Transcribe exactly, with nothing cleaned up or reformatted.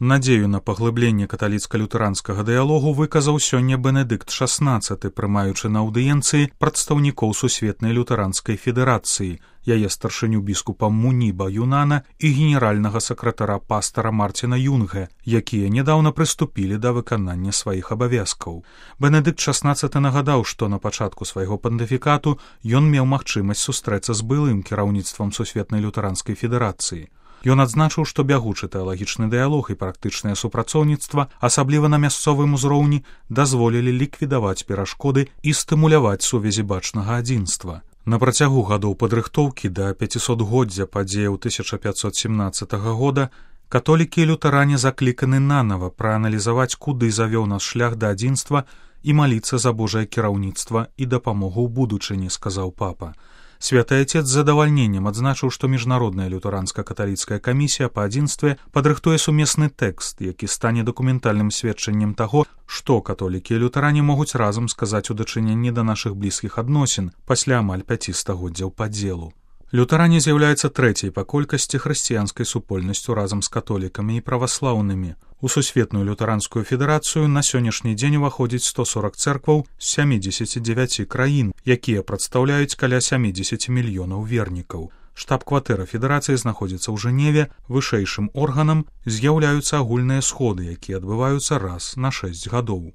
Надзею на паглыбленне каталіцка-лютэранскага дыялогу выказаў сёння Бенедыкт шаснаццаты, прымаючы на аўдыенцыі прадстаўнікоў Сусветнай лютэранскай федэрацыі, яе старшыню біскупа Муніба Юнана і генеральнага сакратара пастара Марціна Юнге, якія нядаўна прыступілі да выканання сваіх абавязкаў. Бенедыкт шаснаццаты нагадаў, што на пачатку свайго пантыфікату ён меў магчымасць сустрэцца з былым кіраўніцтвам Сусветнай лютэранскай федэрацыі. Ён адзначыў, што бягучы тэалагічны дыялог і практычнае супрацоўніцтва, асабліва на мясцовым узроўні, дазволілі ліквідаваць перашкоды і стымуляваць сувязі бачнага адзінства. На працягу гадоў падрыхтоўкі да пяцісотгоддзя падзеяў тысяча пятьсот семнадцатага года католікі і лютаране закліканы нанава прааналізаваць, куды завёў нас шлях да адзінства і маліцца за Божае кіраўніцтва і дапамогу ў будучыні, сказаў папа. Святы Отец з задавальненнем адзначыў, што міжнародная лютэранска-каталіцкая камісія па адзінстве падрыхтуе сумесны тэкст, які стане дакументальным сведчаннем таго, што католікі і лютаране могуць разам сказаць у дачыненні да нашых блізкіх адносін пасля амаль пяці стагоддзяў падзелу. Лютаране з'яўляецца трэцяй па колькасці хрысціянскай супольнасцю разам з католікамі і праваслаўнымі. У Сусветную лютэранскую федэрацыю на сённяшні дзень уваходзіць сто сорок цэркваў з сямідзесяці дзевяці краін, якія прадстаўляюць каля сямідзесяці мільёнаў вернікаў. Штаб-кватэра федэрацыі знаходзіцца ў Жэневе, вышэйшым органам з'яўляюцца агульныя сходы, якія адбываюцца раз на шэсць гадоў.